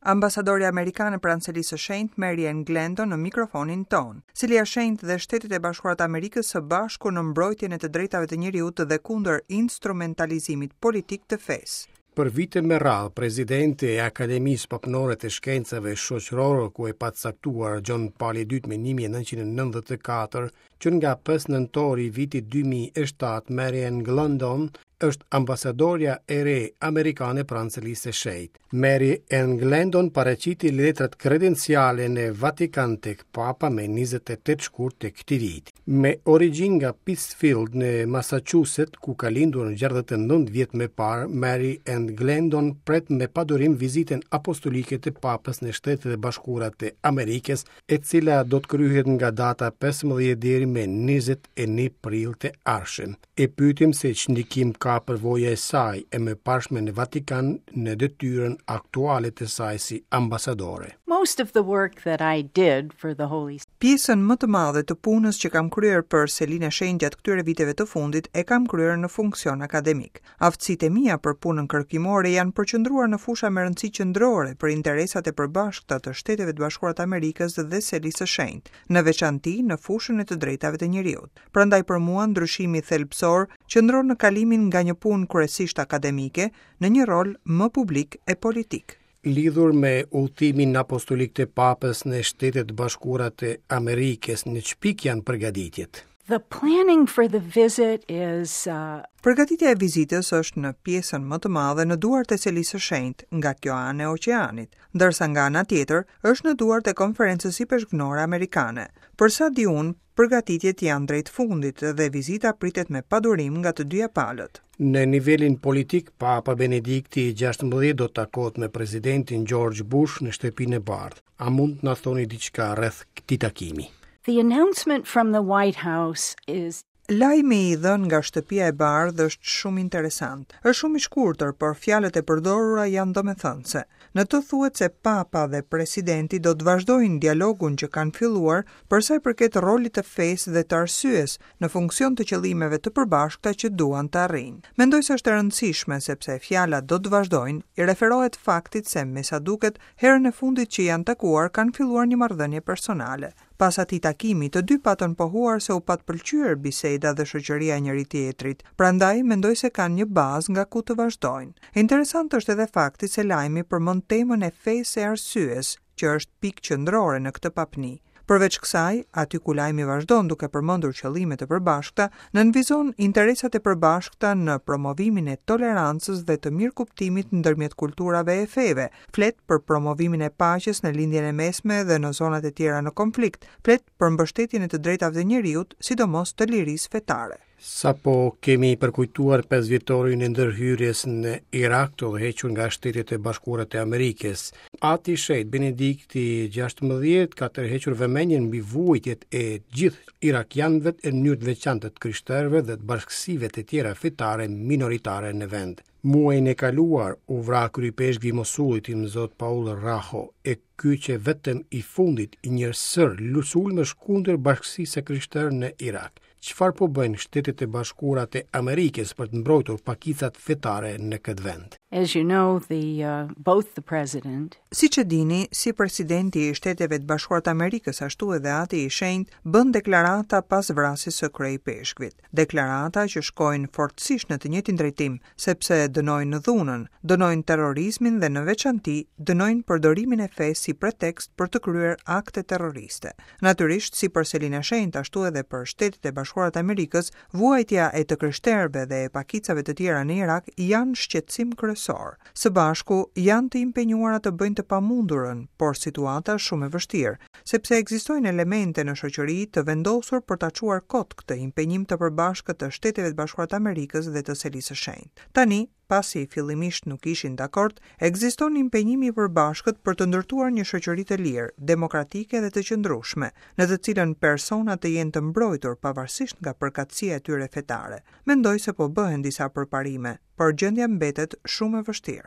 Ambasadorja amerikane pranë Selisë së Shenjtë, Mary Ann Glendon në mikrofonin tonë. Selia e Shenjtë dhe Shtetet e Bashkuara të Amerikës së bashku në mbrojtjen e të drejtave të njeriut dhe kundër instrumentalizimit politik të fesë. Për vite me radhë, presidente e Akademisë Papnore të Shkencave Shoqërore, ku e pat caktuar Gjon Pali II më 1994, që nga 5 nëntori i vitit 2007, Mary Ann Glendon është ambasadorja e re amerikane pranë Selisë së Shenjtë. Mary Ann Glendon paraqiti letrat kredenciale në Vatikan tek Papa me 28 shkurt të këtij viti. Me origjinë nga Pittsfield në Massachusetts, ku ka lindur 69 vjet më parë, Mary Ann Glendon pret me padurim vizitën apostolike të Papës në Shtetet e Bashkuara të Amerikës e cila do të kryhet nga data 15 deri me 21 prill të ardhshëm. E pyetëm se ç'ndikim ka përvoja e saj e mëparshme në Vatikan në detyrën aktuale të saj si ambasadore. Most of the work that I did for the Holy Pjesën më të madhe të punës që kam kryer për Selinë e Shenjtë gjatë këtyre viteve të fundit e kam kryer në funksion akademik. Aftësitë e mia për punën kërkimore janë përqendruar në fusha me rëndësi qendrore për interesat e përbashkëta të Shteteve të Bashkuara të Amerikës dhe Selisë së Shenjtë, në veçanti në fushën e të drejtave të njeriut. Prandaj për mua ndryshimi thelbësor qëndron në kalimin nga një punë kryesisht akademike në një rol më publik e politik. Lidhur me udhëtimin apostolik të Papës në Shtetet e Bashkuara të Amerikës, në ç'pikë janë përgatitjet? The planning for the visit is uh... Përgatitja e vizitës është në pjesën më të madhe në duart e Selisë së Shenjtë, nga kjo anë e oqeanit, ndërsa nga ana tjetër është në duart e Konferencës Ipeshkvnore Amerikane. Për sa di unë, përgatitjet janë drejt fundit dhe vizita pritet me padurim nga të dyja palët. Në nivelin politik, Papa Benedikti i 16 do të takohet me presidentin George Bush në Shtëpinë e Bardhë. A mund të na thoni diçka rreth këtij takimi? The announcement from the White House is Lajmi i dhënë nga Shtëpia e Bardhë është shumë interesant. Është shumë i shkurtër, por fjalët e përdorura janë domethënëse. Në të thuhet se Papa dhe presidenti do të vazhdojnë dialogun që kanë filluar për sa i përket rolit të fesë dhe të arsyes në funksion të qëllimeve të përbashkëta që duan të arrijnë. Mendoj se është e rëndësishme sepse fjala do të vazhdojnë i referohet faktit se me sa duket herën e fundit që janë takuar kanë filluar një marrëdhënie personale. Pas atij takimi, të dy patën pohuar se u pat pëlqyer biseda dhe shoqëria e njëri-tjetrit, prandaj mendoj se kanë një bazë nga ku të vazhdojnë. Interesant është edhe fakti se lajmi përmend temën e fesë e arsyes, që është pikë qendrore në këtë papni. Përveç kësaj, aty ku lajmi vazhdon duke përmendur qëllime të përbashkëta, nënvizon interesat e përbashkëta në promovimin e tolerancës dhe të mirëkuptimit ndërmjet kulturave e feve, flet për promovimin e paqes në Lindjen e Mesme dhe në zonat e tjera në konflikt, flet për mbështetjen e të drejtave të njeriut, sidomos të lirisë fetare. Sapo kemi përkujtuar pesëvjetorin e ndërhyrjes në Irak të udhëhequr nga Shtetet e Bashkuara të Amerikës. Ati i Shenjtë Benedikti XVI ka tërhequr vëmendjen mbi vuajtjet e gjithë irakianëve e në mënyrë të veçantë të krishterëve dhe të bashkësive të tjera fetare minoritare në vend. Muajin e kaluar u vra kryeipeshkvi i Mosulit Imzot Paul Raho, e ky qe vetëm i fundit i një sërë sulmesh kundër bashkësisë së krishterë në Irak. Çfarë po bëjnë Shtetet e Bashkuara të Amerikës për të mbrojtur pakicat fetare në këtë vend? As you know, the uh, both the president Siç e dini, si presidenti i Shteteve të Bashkuara të Amerikës ashtu edhe Ati i Shenjtë bënë deklarata pas vrasjes së kryeipeshkvit. Deklarata që shkojnë fortësisht në të njëjtin drejtim, sepse dënojnë dhunën, dënojnë terrorizmin dhe në veçanti dënojnë përdorimin e fesë si pretekst për të kryer akte terroriste. Natyrisht, si për Selinë e Shenjtë ashtu edhe për Shtetet e Bashkuara të Amerikës, vuajtja e të krishterëve dhe e pakicave të tjera në Irak janë shqetësim kryesor. Së bashku, janë të impenjuara të bëjnë të pamundurën, por situata është shumë e vështirë, sepse ekzistojnë elemente në shoqëri të vendosur për ta çuar kot këtë impenjim të përbashkët të Shteteve të Bashkuara të Amerikës dhe të Selisë së Shenjtë. Tani, pasi fillimisht nuk ishin dakord, ekziston impenjimi i përbashkët për të ndërtuar një shoqëri të lirë, demokratike dhe të qëndrueshme, në të cilën personat të jenë të mbrojtur pavarësisht nga përkatësia e tyre fetare. Mendoj se po bëhen disa përparime, por gjendja mbetet shumë e vështirë.